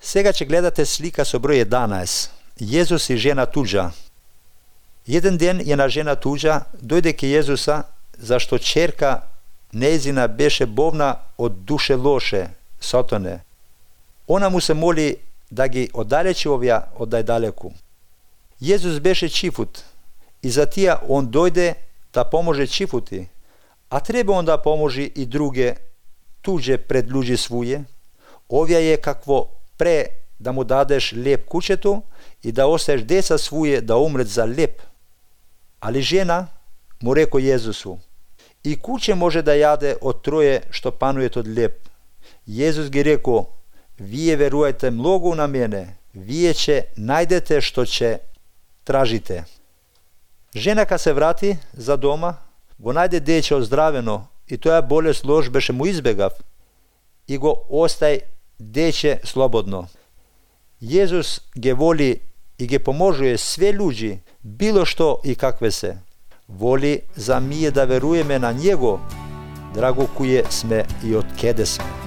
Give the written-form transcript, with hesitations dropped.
Сега ќе гледате слика со број 11. Језус и жена туџа. Еден ден една жена туџа дојде ке Језуса, зашто черка нејзина беше бовна од душе лоше, сатане. Она му се моли да ги оддалечи овија од најдалеку. Језус беше чифут и за тија он дојде да поможе чифути, а треба он да поможи и друге туѓе пред луѓе своје. Овија е какво пре да му дадеш леп кучето и да остаеш деца своје да умрет за леп. Али жена му реко Језусу: и куче може да јаде од троје што панует од леп. Језус ги реко: вие верувајте многу на мене, вие ќе најдете што ќе тражите. Женака се врати за дома, го најде дече оздравено и тоја болест лош беше му избегав и го остај дече слободно. Језус ги воли и ги поможува све луѓи, било што и какве се. Воли за ние да веруеме на Него, драго куе сме и од кеде сме.